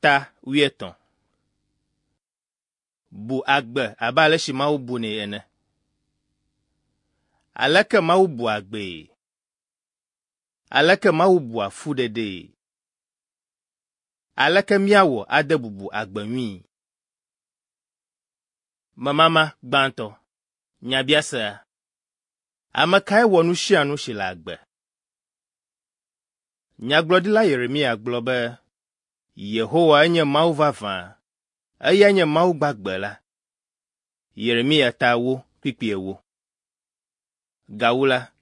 Ta wuietɔ̃. Bu agbe abe ale si Mawu bunɛ ene. Aleke Mawu bua agbee? Aleke Mawu bua fuɖeɖee? Aleke míawɔ ade bubu agbe ŋui? Memama gbãtɔ. Nyabiasea. Ame kae wɔ nu sia nu si le agbe? Nyagblɔɖila Yeremia gblɔ be, Yehowa enye Mawu vavã, eyae nye Mawu gbagbe la. Yeremia ta ewo kpukpui ewo. Gawu la,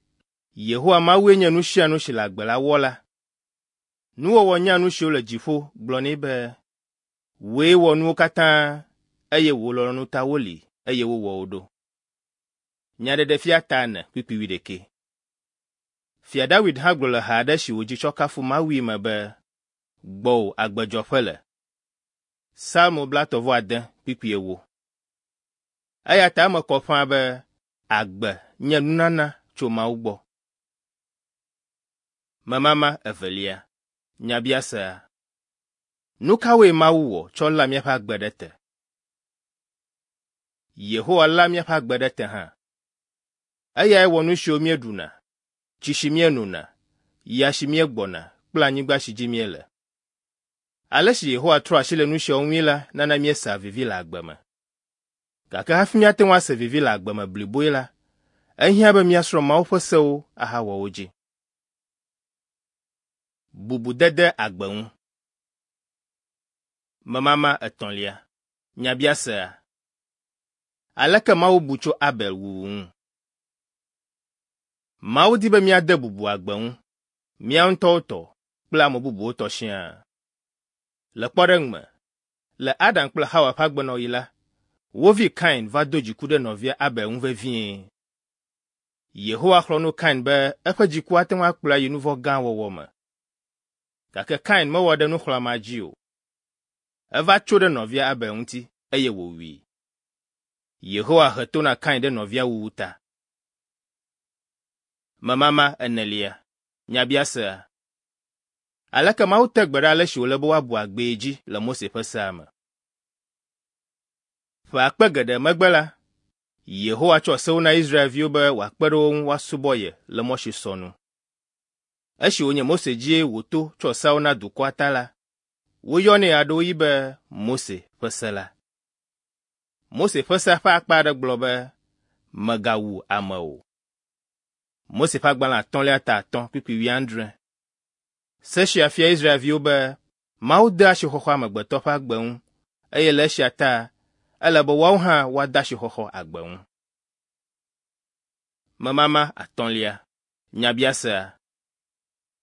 Yehowa Mawue nye nu sia nu si le agbe la Wɔla. Nuwɔwɔ nyanu siwo le dziƒo gblɔ nɛ be, Wòe wɔ nuwo katã eye wò lɔlɔ̃nu ta woli eye wowɔ wo ɖo. Nyaɖeɖefia ta ene kpukpui wuiɖekɛ. Fia Dawid hã gblɔ le ha aɖe si wòdzi tsɔ kafu Mawui me be, Gbɔwò agbedzɔƒe le. Psalmo blaetɔ̃-vɔ-ade kpukpui ewo. Eya ta eme kɔ ƒãa be agbe nye nunana tso Mawu gbɔ. Memama evelia. Nyabiasea. Nu kawoe Mawu wɔ tsɔ léa míaƒe agbe ɖe te? Yehowa léa míaƒe agbe ɖe te hã. Eyae wɔ nu siwo míeɖuna, tsi si míenona, ya si míegbɔna kple anyigba si dzi míele. Ale si Yehowa trɔ asi le nu siawo ŋui la nana míesea vivi le agbe me. Gake hafi míate ŋu ase vivi le agbe me bliboe la, ehiã be míasrɔ̃ Mawu ƒe sewo ahawɔ wo dzi. Bubudede agbe ŋu. Memama etɔ̃lia. Nyabiasea. Aleke Mawu bu tso Abel wuwu ŋu? Mawu di be míade bubu agbe ŋu, mía ŋutɔwo tɔ kple ame bubuwo tɔ siaa. Le kpɔɖeŋu me, le Adam kple Xawa ƒe agbenɔɣi la, wo vi Kain va do dziku ɖe nɔvia Abel ŋu vevie. Yehowa xlɔ̃ nu Kain be eƒe dziku ate ŋu akplɔe ayi nu vɔ̃ gã wɔwɔ me. Gake Kain mewɔ ɖe nuxlɔ̃amea dzi o. Eva tso ɖe nɔvia Abel ŋuti eye wòwui. Yehowa he to na Kain ɖe nɔvia wuwu ta. Memama enelia. Nyabiasea. Aleke Mawu te gbe ɖe ale si wòle be woabu agbee dzi le Mose ƒe sea me? Ƒe akpe geɖe megbe la, Yehowa tsɔ sewo na Israelviwo be wòakpe ɖe wo ŋu woasubɔ ye le mɔ si sɔ nu. Esi wònye Mose dzie wòto tsɔ seawo na dukɔa ta la, woyɔnɛ ɣeaɖewoɣi be Mose ƒe se la. Mose ƒe sea ƒe akpa aɖe gblɔ be, Mègawu ame o. Mose ƒe agbalẽ atɔ̃lia ta atɔ̃ kpukpui wuiadre. Se sia fia Israelviwo be Mawu dea asixɔxɔ amegbetɔ ƒe agbe ŋu eye le esia ta ele be woawo hã woade asixɔxɔ agbe ŋu. Memama atɔ̃lia. Nyabiasea.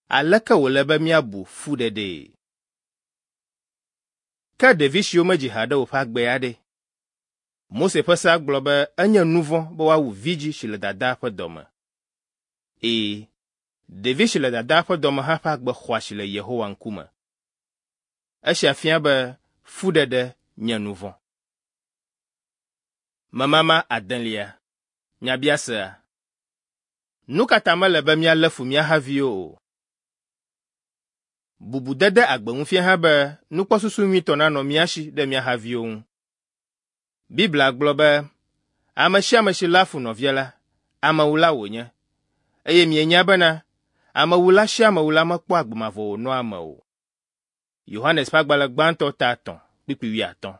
Aleke wòle be míabu fuɖeɖee? Ke ɖevi siwo medzi haɖe o ƒe agbe ya ɖe? Mose ƒe sea gblɔ be enye nu vɔ̃ be woawu vidzĩ si le dadaa ƒe dɔme. Ee, ɖevi si le dadaa ƒe dɔme hã ƒe agbe xɔ asi le Yehowa ŋkume. Esia fia be fuɖeɖe nye nu vɔ̃. Memama adelia. Nyabiasea. Nu ka ta mele be míalé fu mía haviwo o? Bubudede agbe ŋu fia hã be nukpɔsusu nyuitɔ nanɔ mía si ɖe mía haviwo ŋu. Biblia gblɔ be, Ame sia ame si léa fu nɔvia la, amewula wònye. Eye mienya bena, amewula sia amewula mekpɔa agbe mavɔ wònɔa eme o. Yohanes ƒe agbalẽ gbãtɔ ta etɔ̃ kpukpui wuiatɔ̃.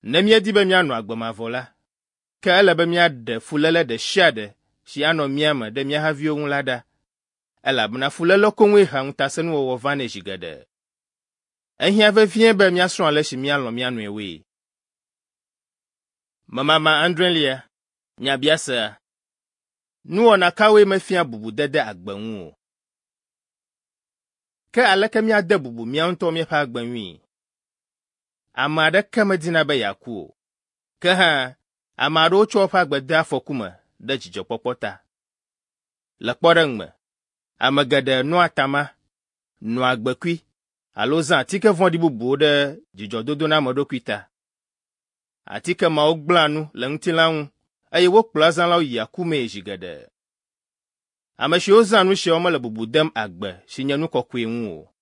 Ne míedi be míanɔ agbe mavɔ la, ke ele be míaɖe fuléle ɖe sia ɖe si anɔ mía me ɖe mía haviwo ŋu la ɖa, elabena fuléle koŋue hea ŋutasẽnuwɔwɔ vanɛ zi geɖe. Ehiã vevie be míasrɔ̃ ale si míalɔ̃ mía nɔewoe. Memama adrelia, nyabiasea. Nuwɔna kawoe mefia bubudede agbe ŋu o? Ke aleke míade bubu mía ŋutɔ míaƒe agbe ŋui? Ame aɖeke medina be yeaku o. Ke hã, ame aɖewo tsɔa woƒe agbe dea afɔku me ɖe dzidzɔkpɔkpɔ ta. Le kpɔɖeŋu me, ame geɖe noa atama, noa agbekui alo zãa atike vɔ̃ɖi bubuwo ɖe dzidzɔdodonameɖokui ta. Atike mawo gblẽa nu le ŋutilã ŋu eye wokplɔa ezãlawo yia ku mee zi geɖe. Ame siwo zãa nu siawo mele bubu dem agbe si nye nu kɔkɔe ŋu o.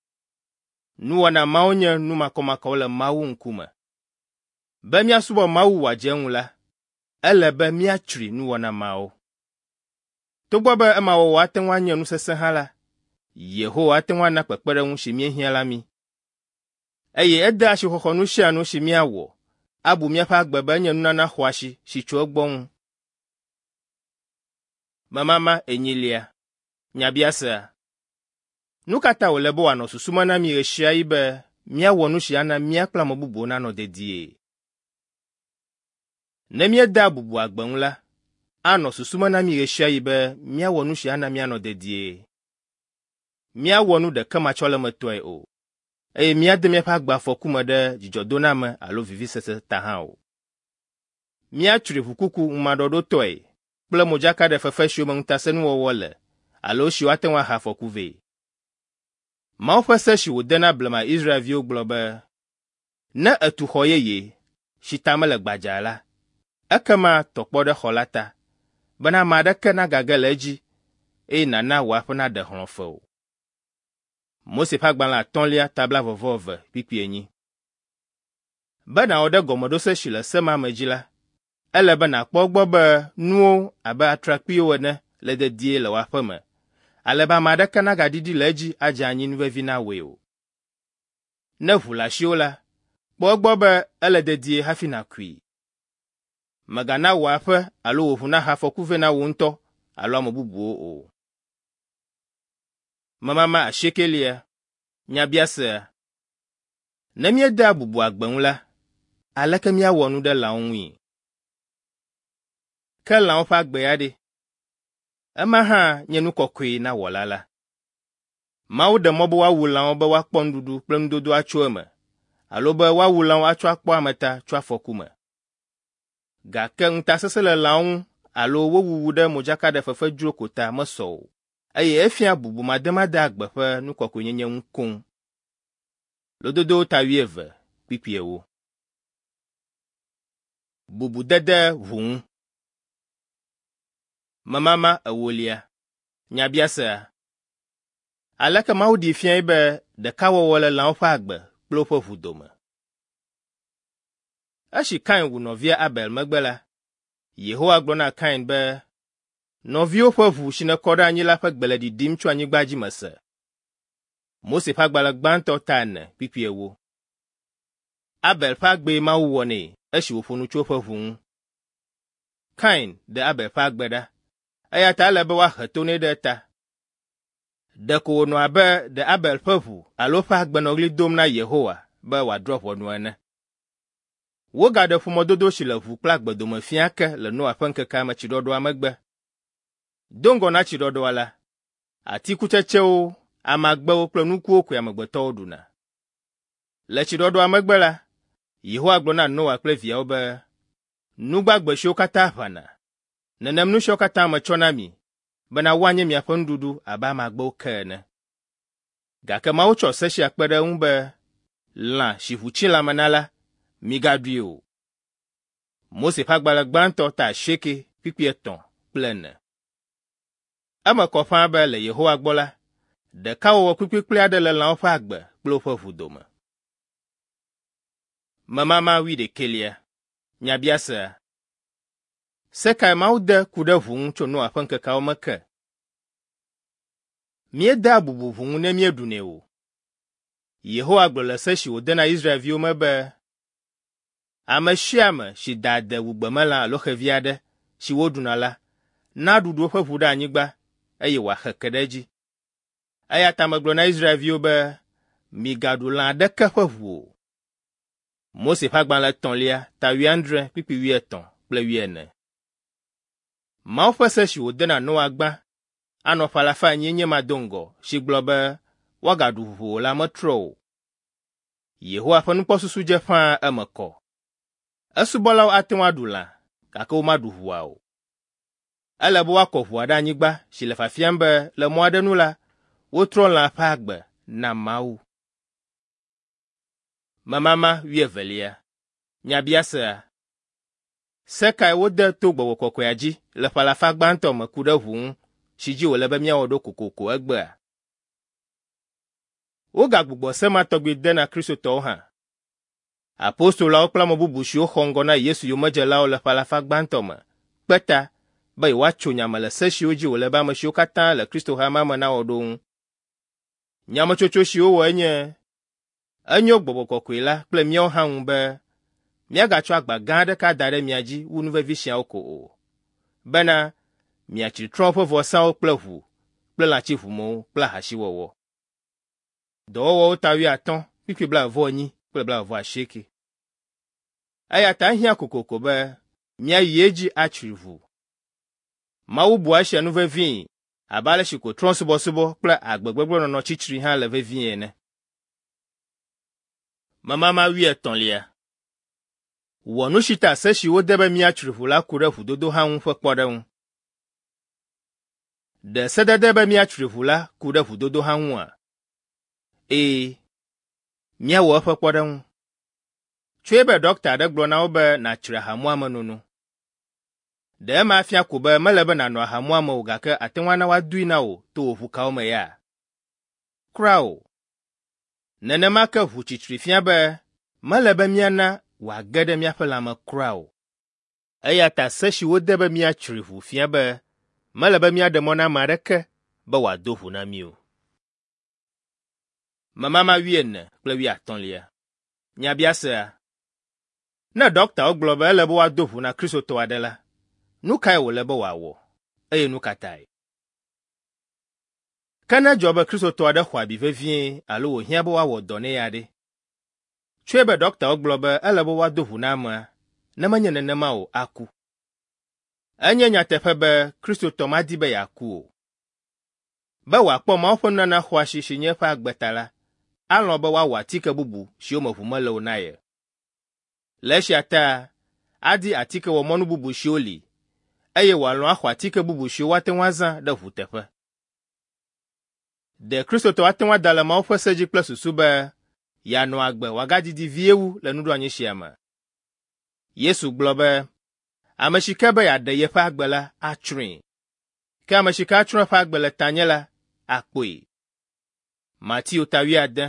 Nuwɔna mawo nye nu makɔmakɔwo le Mawu ŋkume. Be míasubɔ Mawu wòadze eŋu la, ele be míatsri nuwɔna mawo. Togbɔ be ema wɔwɔ ate ŋu anye nu sesẽ hã la, Yehowa ate ŋu ana kpekpeɖeŋu si míehiã la mí. Eye edea asixɔxɔ nu sia nu si míawɔ abu míaƒe agbe be enye nunana xɔasi si tso egbɔ ŋu. Memama enyilia. Nyabiasea. Nu ka ta wòle be wòanɔ susu me na mí ɣesiaɣi be míawɔ nu si ana mía kple ame bubuwo nanɔ dedie? Ne míedea bubu agbe ŋu la, anɔ susu me na mí ɣesiaɣi be míawɔ nu si ana míanɔ dedie. Míawɔ nu ɖekematsɔlemetɔe o, eye míade míaƒe agbe afɔku me ɖe dzidzɔdoname alo vivisese ta hã o. Míatsri ʋukuku ŋumaɖɔɖotɔe kple modzakaɖefefe siwo me ŋutasẽnuwɔwɔ le alo esiwo ate ŋu ahe afɔku vɛ. Mawu ƒe se si wòde na blema Israelviwo gblɔ be, Ne ètu xɔ yeye, si ta mele gbadzaa la, ekema tɔ kpɔ ɖe xɔ la ta, bena ame aɖeke nagage le edzi, eye nàna wò aƒe naɖe hlɔ̃fe o. Mose ƒe agbalẽ atɔ̃lia ta blaeve-vɔ-eve kpukpui enyi. Be nàwɔ ɖe gɔmeɖose si le se ma me dzi la, ele be nàkpɔ egbɔ be nuwo abe atrakpuiwo ene le dedie le wò aƒe me, ale be ame aɖeke nagaɖiɖi le edzi adze anyi nuvevi na wòe o. Ne ʋu le asiwò la, kpɔ egbɔ be ele dedie hafi nàkui. Mègana wò aƒe alo wò ʋu nahe afɔku vɛ na wò ŋutɔ alo ame bubuwo o. Memama asiekelia. Nyabiasea. Ne míedea bubu agbe ŋu la, aleke míawɔ nu ɖe lãwo ŋui? Ke lãwo ƒe agbe ya ɖe? Ema hã nye nu kɔkɔe na Wɔla la. Mawu ɖe mɔ be woawu lãwo be woakpɔ nuɖuɖu kple nudodo atso eme, alo be woawu lãwo atsɔ akpɔ ame ta tso afɔku me. Gake ŋutasesẽ le lãwo ŋu alo wo wuwu ɖe modzakaɖefefe dzro ko ta mesɔ o, eye efia bubumademade agbe ƒe nu kɔkɔenyenye ŋu koŋ. Lododowo ta wuieve, kpukpui ewo. Bubudede ʋu ŋu. Memama ewolia. Nyabiasea. Aleke Mawu ɖee fiae be ɖekawɔwɔ le lãwo ƒe agbe kple woƒe ʋu dome? Esi Kain wu nɔvia Abel megbe la, Yehowa gblɔ na Kain be, Nɔviwò ƒe ʋu si nèkɔ ɖe anyi la ƒe gbe le ɖiɖim tso anyigba dzi mese. Mose ƒe agbalẽ gbãtɔ ta ene kpukpui ewo. Abel ƒe agbee Mawu wɔ nɛ esi wòƒo nu tso eƒe ʋu ŋu. Kain ɖe Abel ƒe agbe ɖa, eya ta ele be woahe to nɛ ɖe eta. Ɖeko wònɔ abe ɖe Abel ƒe ʋu alo eƒe agbe nɔ ɣli dom na Yehowa be wòadrɔ̃ ʋɔnu ene. Wogaɖe ƒomedodo si le ʋu kple agbe dome fia ake le Noa ƒe ŋkekea me tsiɖɔɖɔa megbe. Do ŋgɔ na tsiɖɔɖɔa la, atikutsetsewo, amagbewo kple nukuwo koe amegbetɔwo ɖuna. Le tsiɖɔɖɔa megbe la, Yehowa gblɔ na Noa kple viawo be, Nu gbagbe siwo katã ʋãna, nenem nu siawo katã metsɔ na mi, bena woanye miaƒe nuɖuɖu abe amagbewo ke ene. Gake Mawu tsɔ se sia kpe ɖe eŋu be, Lã si ʋu tsi lãme na la, migaɖui o. Mose ƒe agbalẽ gbãtɔ ta asieke kpukpui etɔ̃ kple ene. Eme kɔ ƒãa be le Yehowa gbɔ la, ɖekawɔwɔ kplikplikpli aɖe le lãwo ƒe agbe kple woƒe ʋu dome. Memama wuiɖekɛlia. Nyabiasea. Se kae Mawu de ku ɖe ʋu ŋu tso Noa ƒe ŋkekeawo me ke? Míedea bubu ʋu ŋu ne míeɖunɛ o. Yehowa gblɔ le se si wòde na Israelviwo me be, Ame sia ame si da ade wu gbemelã alo xevi aɖe si woɖuna la, naɖuɖu eƒe ʋu ɖe anyigba eye wòaxe ke ɖe edzi. Eya ta megblɔ na Israelviwo be, Migaɖu lã aɖeke ƒe ʋu o. Mose ƒe agbalẽ etɔ̃lia ta wuiadre kpukpui wuietɔ̃ kple wuiene. Mawu ƒe se si wòde na Noa gbã anɔ ƒe alafa enyie nye ma do ŋgɔ si gblɔ be woagaɖu ʋu o la metrɔ o. Yehowa ƒe nukpɔsusu dze ƒãa eme kɔ. Esubɔlawo ate ŋu aɖu lã, gake womaɖu ʋua o. Ele be woakɔ ʋua ɖe anyigba si le fiafiam be le mɔ aɖe nu la, wotrɔ lã ƒe agbe na Mawu. Memama wuievelia. Nyabiasea. Se kae wode to gbɔgbɔ kɔkɔea dzi le ƒe alafa gbãtɔ me ku ɖe ʋu ŋu si dzi wòle be míawɔ ɖo kokoko egbea? Wogagbugbɔ se ma tɔgbi de na Kristotɔwo hã. Apostoloawo kple ame bubu siwo xɔ ŋgɔ na Yesu yomedzelawo le ƒe alafa gbãtɔ me kpe ta be yewoatso nya me le se siwo dzi wòle be ame siwo katã le Kristo hamea me nawɔ ɖo ŋu. Nyametsotso si wowɔ enye, enyo gbɔgbɔ kɔkɔe la kple míawo hã ŋu be míagatsɔ agba gã aɖeke ada ɖe mia dzi wu nu vevi siawo ko o, bena miatsri trɔ̃wo ƒe vɔsawo kple ʋu kple lãtsiʋumewo kple ahasiwɔwɔ. Dɔwɔwɔwo ta wuiatɔ̃, kpukpui blaeve-vɔ-enyi kple blaeve-vɔ-asieke. Eya ta ehiã kokoko be míayi edzi atsri ʋu. Mawu bua esia nu vevii abe ale si ko trɔ̃subɔsubɔ kple agbe gbegblẽ nɔnɔ tsitsri hã le vevie ene. Memama wuietɔ̃lia. Wɔ nu si ta se si wode be míatsri ʋu la ku ɖe ʋudodo hã ŋu ƒe kpɔɖeŋu. Ɖe sedede be míatsri ʋu la ku ɖe ʋudodo hã ŋua? Ee. Míawɔ eƒe kpɔɖeŋu. Tsɔe be ɖɔkta aɖe gblɔ na wò be nàtsri ahamuame nono. Ɖe ema afia ko be mele be nàno ahamuame o gake àte ŋu ana woadoe na wò to wò ʋukawo me ya? Kura o. Nenema ke ʋu tsitsri fia be mele be míana wòage ɖe míaƒe lãme kura o. Eya ta se si wode be míatsri ʋu fia be mele be míaɖe mɔ na ame aɖeke be wòado ʋu na mí o. Memama wuiene kple wuiatɔ̃lia. Nyabiasea. Ne ɖɔktawo gblɔ be ele be woado ʋu na Kristotɔ aɖe la, nu kae wòle be wòawɔ, eye nu ka tae? Ke ne edzɔ be Kristotɔ aɖe xɔ abi vevie alo wòhiã be woawɔ dɔ nɛ ya ɖe? Tsɔe be ɖɔktawo gblɔ be ele be woado ʋu na amea, ne menye nenema o aku. Enye nyateƒe be Kristotɔ madi be yeaku o. Be wòakpɔ Mawu ƒe nunana xɔasi si nye eƒe agbe ta la, alɔ̃ be woawɔ atike bubu siwo me ʋu mele o na ye. Le esia ta, adi atikewɔmɔnu bubu siwo li, eye wòalɔ̃ axɔ atike bubu siwo woate ŋu azã ɖe ʋu teƒe. Ɖe Kristotɔ ate ŋu ada le Mawu ƒe se dzi kple susu be yeanɔ agbe wòagadidi vie wu le nuɖoanyi sia me? Yesu gblɔ be, Ame si ke be yeaɖe yeƒe agbe la, atsrɔ̃e. Ke ame si ke atsrɔ̃ eƒe agbe le tanye la, akpɔe. Mateo ta wuiade,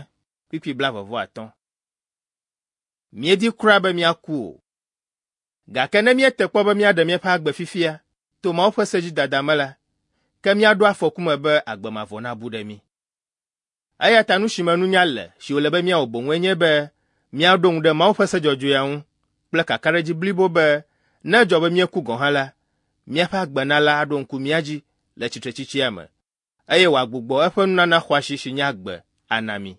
kpukpui blaeve-vɔ-atɔ̃. Míedi kura be míaku o. Gake ne míete kpɔ be míaɖe míaƒe agbe fifia to Mawu ƒe se dzi dada me la, ke míaɖo afɔku me be agbe mavɔ nabu ɖe mí. Eya ta nu si me nunya le si wòle be míawɔ boŋue nye be míaɖo ŋu ɖe Mawu ƒe se dzɔdzɔea ŋu kple kakaɖedzi blibo be ne edzɔ be míeku gɔ̃ hã la, míaƒe agbenala aɖo ŋku mía dzi le tsitretsitsia me eye wòagbugbɔ eƒe nunana xɔasi si nye agbe ana mí.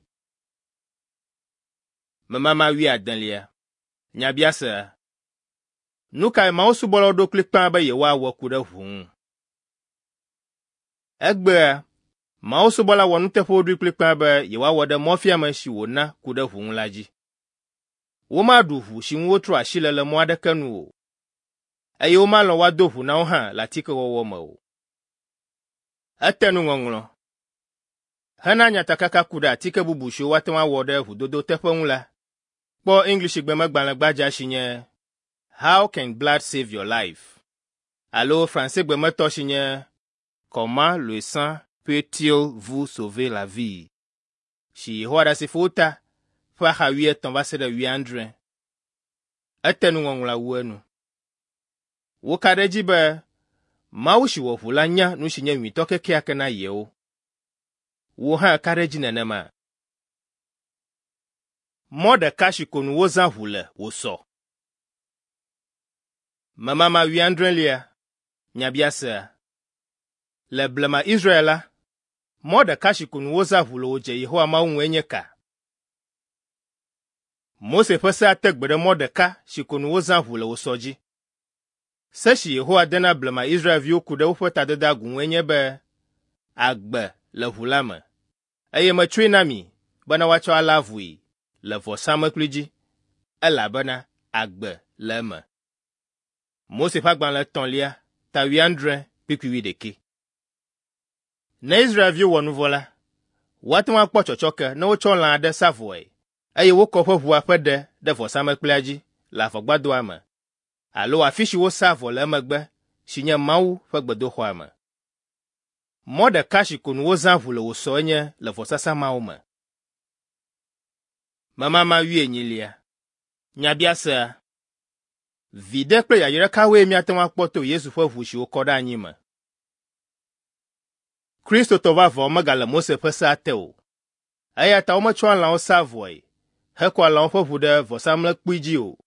Memama wuiadelia. Nyabiasea. Nu kae Mawu subɔlawo ɖo kplikpaa be yewoawɔ ku ɖe ʋu ŋu? Egbea, Mawu subɔla wɔnuteƒewo ɖoe kplikpaa be yewoawɔ ɖe mɔfiame si wòna ku ɖe ʋu ŋu la dzi. Womaɖu ʋu si ŋu wotrɔ asi le le mɔ aɖeke nu o, eye womalɔ̃ woado ʋu na wo hã le atikewɔwɔ me o. Ete nuŋɔŋlɔ. Hena nyatakaka ku ɖe atike bubu siwo woate ŋu awɔ ɖe ʋudodo teƒe ŋu la, kpɔ Eŋlisigbe gbadza si nye How Can Blood Save Your Life? Alo Fransegbe me tɔ si nye Comment le sang peut-il vous sauver la vie? si Yehowa Ɖasefowo ta ƒe axa wuietɔ̃ va se ɖe wuiadre. Ete nuŋɔŋlɔa wu enu. Woka ɖe edzi be Mawu si wɔ ʋu la nya nu si nye nyuitɔ kekeake na yewo. Wò hã èka ɖe edzi nenema? Mɔ ɖeka si ko nu wozã ʋu le wòsɔ. Memama wuiadrelia. Nyabiasea. Le blema Israel la, mɔ ɖeka si ko nu wozã ʋu le wòdze Yehowa Mawu ŋue nye ka? Mose ƒe sea te gbe ɖe mɔ ɖeka si ko nu wozã ʋu le wòsɔ dzi. Se si Yehowa de na blema Israelviwo ku ɖe woƒe tadedeagu ŋue nye be, Agbe le ʋu la me, eye metsɔe na mi bena woatsɔ alé avui le vɔsamlekpui dzi, elabena agbe le eme. Mose ƒe agbalẽ etɔ̃lia, ta wuiadre, kpukpui wuiɖekɛ. Ne Israelviwo wɔ nu vɔ̃ la, woate ŋu akpɔ tsɔtsɔke ne wotsɔ lã aɖe sa vɔe, eye wokɔ eƒe ʋua ƒe ɖe ɖe vɔsamlekpuia dzi le avɔgbadɔa me alo afi si wosaa vɔ le emegbe si nye Mawu ƒe gbedoxɔa me. Mɔ ɖeka si ko nu wozã ʋu le wòsɔ enye le vɔsasa mawo me. Memama wuienyilia. Nyabiasea. Viɖe kple yayra kawoe míate ŋu akpɔ to Yesu ƒe ʋu si wokɔ ɖe anyi me? Kristotɔ vavãwo megale Mose ƒe sea te o. Eya ta wometsɔa lãwo saa vɔe hekɔa lãwo ƒe ʋu ɖe vɔsamlekpui dzi o.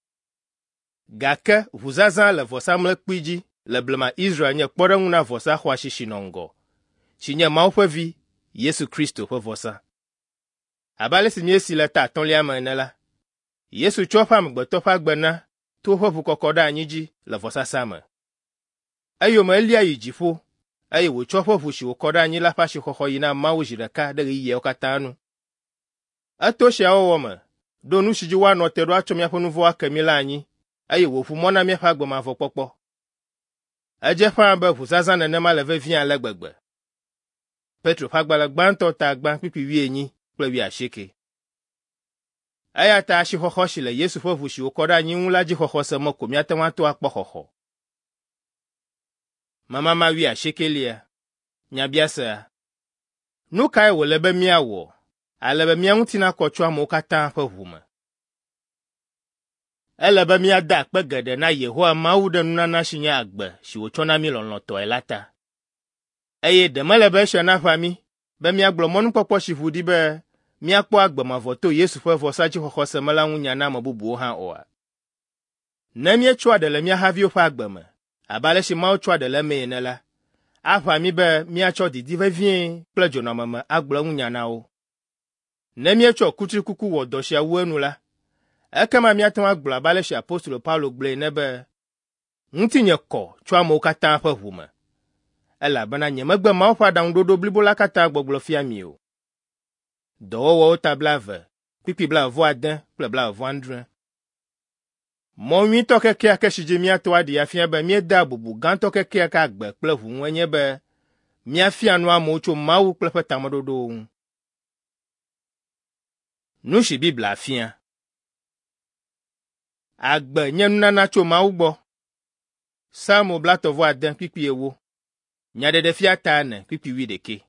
Gake ʋuzazã le vɔsamlekpui dzi le blema Israel nye kpɔɖeŋu na vɔsa xɔasi si nɔ ŋgɔ, si nye Mawu ƒe Vi, Yesu Kristo ƒe vɔsa. Abe ale si míesee le ta atɔ̃lia me ene la, Yesu tsɔ eƒe amegbetɔ ƒe agbe na to eƒe ʋukɔkɔ ɖe anyi dzi le vɔsasa me. Eyome elia yi dziƒo, eye wòtsɔ eƒe ʋu si wòkɔ ɖe anyi la ƒe asixɔxɔ yi na Mawu zi ɖeka ɖe ɣeyiɣiawo katã nu. Eto esia wɔwɔ me ɖo nu si dzi woanɔ te ɖo atsɔ míaƒe nu vɔ̃wo ake mí la anyi, eye wòʋu mɔ na míaƒe agbe mavɔ kpɔkpɔ. Edze ƒãa be ʋuzazã nenema le vevie ale gbegbe. Petro ƒe agbalẽ gbãtɔ ta gbã kpukpui wuienyi kple wuiasieke. Eya ta asixɔxɔ si le Yesu ƒe ʋu si wòkɔ ɖe anyi ŋu la dzixɔxɔse me ko míate ŋu ato akpɔ xɔxɔ. Memama wuiasiekelia. Nyabiasea. Nu kae wòle be míawɔ ale be mía ŋuti nakɔ tso amewo katã ƒe ʋu me? Ele be míada akpe geɖe na Yehowa Mawu ɖe nunana si nye agbe si wòtsɔ na mí lɔlɔ̃tɔe la ta. Eye ɖe mele be esia naʋã mí be míagblɔ mɔnukpɔkpɔ si ʋu ɖi be míakpɔ agbe mavɔ to Yesu ƒe vɔsadzixɔxɔse me la ŋu nya na ame bubuwo hã oa? Ne míetsɔa ɖe le mía haviwo ƒe agbe me, abe ale si Mawu tsɔa ɖe le emee ene la, aʋã mí be míatsɔ didi vevie kple dzonɔameme agblɔ eŋu nya na wo. Ne míetsɔ kutrikuku wɔ dɔ sia wu enu la, ekema míate ŋu agblɔ abe ale si apostolo Paulo gblɔe ene be, Ŋutinye kɔ tso amewo katã ƒe ʋu me, elabena nyemegbe Mawu ƒe aɖaŋuɖoɖo blibo la katã gbɔgblɔ fia mi o. Dɔwɔwɔwo ta blaeve, kpukpui blaeve-vɔ-ade kple blaeve-vɔ-adre. Mɔ nyuitɔ kekeake si dzi míato aɖee afia be míedea bubu gãtɔ kekeake agbe kple ʋu ŋue nye be míafia nu amewo tso Mawu kple eƒe tameɖoɖowo ŋu. Nu si Biblia fia. Agbe nye nunana tso Mawu gbɔ. Psalmo blaetɔ̃-vɔ-ade kpukpui ewo. Nyaɖeɖefia ta ene kpukpui wuiɖekɛ.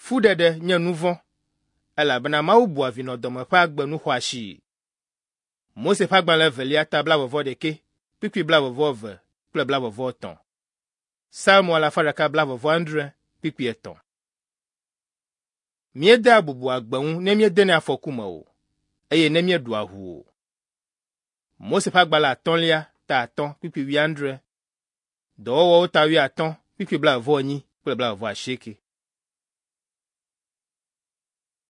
Fuɖeɖe nye nu vɔ̃, elabena Mawu bua vinɔdɔme ƒe agbe nu xɔasii. Mose ƒe agbalẽ evelia ta blaeve-vɔ-ɖekɛ, kpukpui blaeve-vɔ-eve kple blaeve-vɔ-etɔ̃. Psalmo alafa ɖeka blaeve-vɔ-adre, kpukpui etɔ̃. Míedea bubu agbe ŋu ne míedenɛ afɔku me o, eye ne míeɖua ʋu o. Mose ƒe agbalẽ atɔ̃lia ta atɔ̃ kpukpui wuiadre, Dɔwɔwɔwo ta wuiatɔ̃ kpukpui blaeve-vɔ-enyi kple blaeve-vɔ-asieke.